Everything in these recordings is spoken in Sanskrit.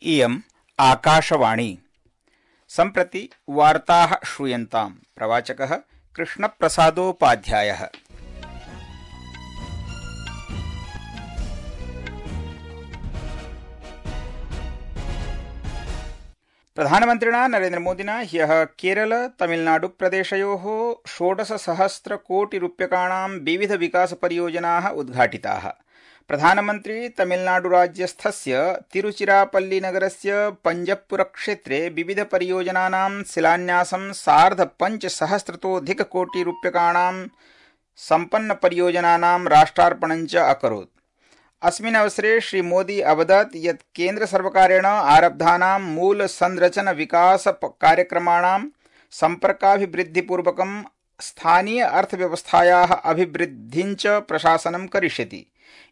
इयम् आकाशवाणी। सम्प्रति वार्ताः श्रूयन्ताम्। प्रवाचकः कृष्णप्रसादोपाध्यायः। प्रधानमन्त्रिणा नरेन्द्रमोदिना ह्यः केरल तमिलनाडु प्रदेशयोः 16,000 कोटिरूप्यकाणां विविध विकासपरियोजनाः उद्घाटिताः। प्रधानमन्त्री तमिलनाडुराज्यस्थस्य तिरुचिरापल्लीनगरस्य पंजप्पुरक्षेत्रे विविध परियोजनानां शिलान्यासं 5,500 सम्पन्न परियोजनानां राष्ट्रार्पणं च अकरोत्। अस्मिन् अवसरे श्री मोदी अवदत् यत् केन्द्रसर्वकारेण आरब्धानां मूल संरचन विकास कार्यक्रमाणां सम्पर्काभिवृद्धिपूर्वकं स्थानीय अर्थव्यवस्थायाः अभिवृद्धिं च प्रशासनं करिष्यति,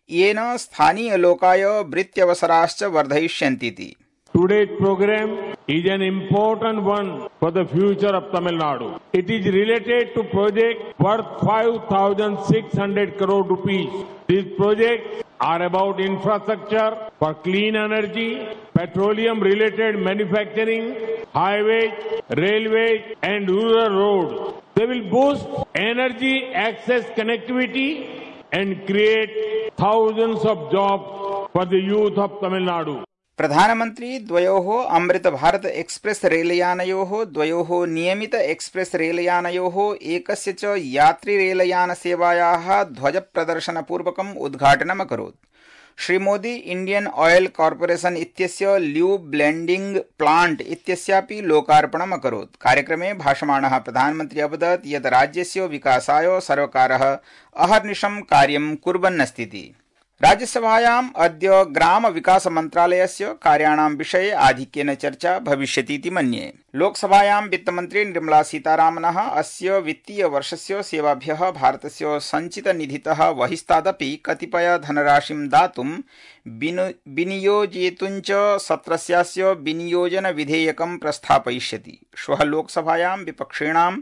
येन स्थानीय लोकाय वृत्त्यवसराश्च वर्धयिष्यन्तीति। Today's program is an important one for the future of Tamil Nadu. It is related to projects worth 5,600 crore rupees. These projects are about infrastructure for clean energy, petroleum-related manufacturing, highways, railways, and rural roads. They will boost energy access connectivity and create thousands of jobs for the youth of Tamil Nadu. प्रधानमन्त्री द्वयोः अमृत भारत एक्सप्रेस रेलयानयोः, द्वयोः नियमित एक्सप्रेस रेलयानयोः, एकस्य च यात्री रेलयानसेवायाः ध्वजप्रदर्शनपूर्वकम् उद्घाटनम् अकरोत्। Shri Modi Indian oil corporation इत्यस्य ल्यूब ब्लेंडिंग प्लांट इत्यस्यापि लोकार्पणम् अकरोत्। कार्यक्रमे भाषमाणः प्रधानमन्त्री अवदत् यत् राज्यस्य विकासाय सर्वकारः अहर्निशं कार्यं कुर्वन्नस्तीति। राज्यसभायाम् अद्य ग्राम विकास मन्त्रालयस्य कार्याणां विषये आधिक्येन चर्चा भविष्यतीति मन्ये। लोकसभायां वित्तमन्त्री निर्मला सीतारामनः अस्य वित्तीय वर्षस्य सेवाभ्यः भारतस्य सञ्चितनिधितः बहिस्तादपि कतिपय धनराशिं दातुं विनियोजयितुं च सत्रस्यास्य विनियोजन विधेयकं प्रस्थापयिष्यति। श्वः लोकसभायां विपक्षिणां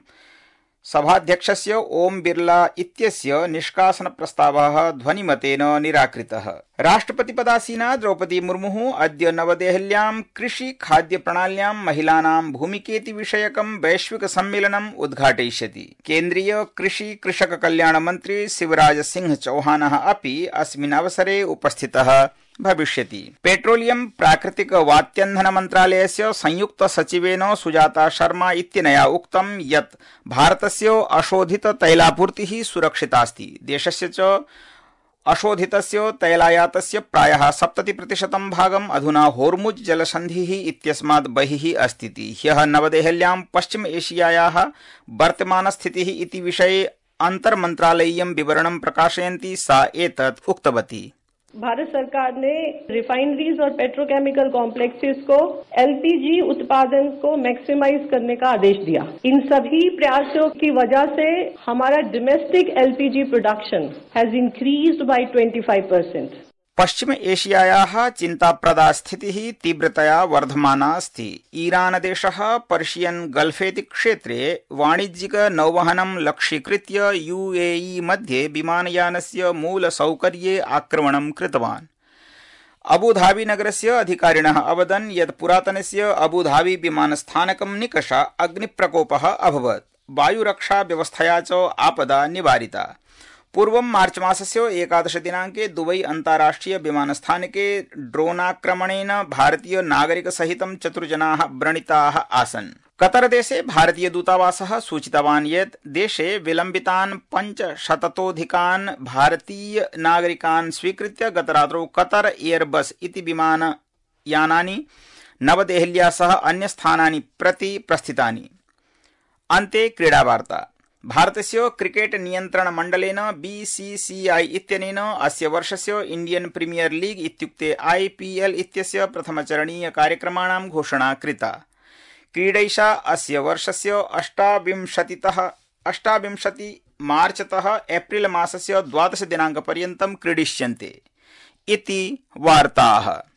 सभाध्यक्षस्य ओम बिरला इत्यस्य निष्कासन प्रस्तावः ध्वनिमतेन निराकृतः। राष्ट्रपतिपदासीना द्रौपदी मुर्मुः अद्य नवदेहल्यां कृषि खाद्य प्रणाल्यां महिलानां भूमिकेति विषयकं वैश्विक सम्मेलनम् उद्घाटयिष्यति। केन्द्रीय कृषि कृषक कल्याण मन्त्री शिवराज सिंह चौहानः अपि अस्मिन् अवसरे उपस्थितः भविष्यति। पेट्रोलियम प्राकृतिक वात्यन्धन मन्त्रालयस्य संयुक्त सचिवेन सुजाता शर्मा इत्यनया उक्तं यत् भारतस्य अशोधित तैलापूर्तिः सुरक्षितास्ति। देशस्य च अशोधितस्य तैलायातस्य प्रायः 70% भागम् अधुना होर्मुज जलसन्धिः इत्यस्मात् बहिः अस्तीति। ह्यः नवदेहल्यां पश्चिम एशियायाः वर्तमानस्थितिः इति विषये अन्तर्मन्त्रालयीयं विवरणं प्रकाशयन्ती सा एतत् उक्तवती। भारत सरकार ने रिफाइनरीज और पेट्रोकेमिकल कॉम्प्लेक्सेस को एलपीजी उत्पादन को मैक्सिमाइज करने का आदेश दिया। इन सभी प्रयासों की वजह से हमारा domestic LPG production has increased by 25%। पश्चिम एशियायाः चिन्ताप्रदा स्थितिः तीव्रतया वर्धमाना अस्ति। ईरान देशः पर्शियन गल्फेति क्षेत्रे वाणिज्यिक नौवहनं लक्ष्यीकृत्य यूएई मध्ये विमानयानस्य मूलसौकर्ये आक्रमणं कृतवान्। अबुधाबी नगरस्य अधिकारिणः अवदन् यत् पुरातनस्य अबुधाबी विमानस्थानकं निकष अग्निप्रकोपः अभवत्। वायुरक्षा व्यवस्थया च आपदा निवारिता। पूर्वं मार्च मासस्य 11 दिनाङ्के दुबई अन्ताराष्ट्रिय विमानस्थानके ड्रोनाक्रमणेन भारतीय नागरिकसहितं 4 जनाः व्रणिताः आसन्। कतरदेशे भारतीय दूतावासः सूचितवान् यत् देशे विलम्बितान् 500तोऽधिकान् भारतीय नागरिकान् स्वीकृत्य गतरात्रौ कतर एयरबस इति विमानयानानि नवदेहल्या सह अन्यस्थानानि प्रति प्रस्थितानि। अन्ते क्रीडावार्ता। भारतस्य क्रिकेट नियन्त्रण मण्डलेन बीसीसीआई इत्यनेन अस्य वर्षस्य इंडियन प्रीमियर लीग इत्युक्ते आईपीएल इत्यस्य प्रथमचरणीय कार्यक्रमाणां घोषणा कृता। क्रीडैषा अस्य वर्षस्य 28 मार्चतः एप्रिल मासस्य 12 दिनाङ्कपर्यन्तं क्रीडिष्यन्ते इति वार्ताः।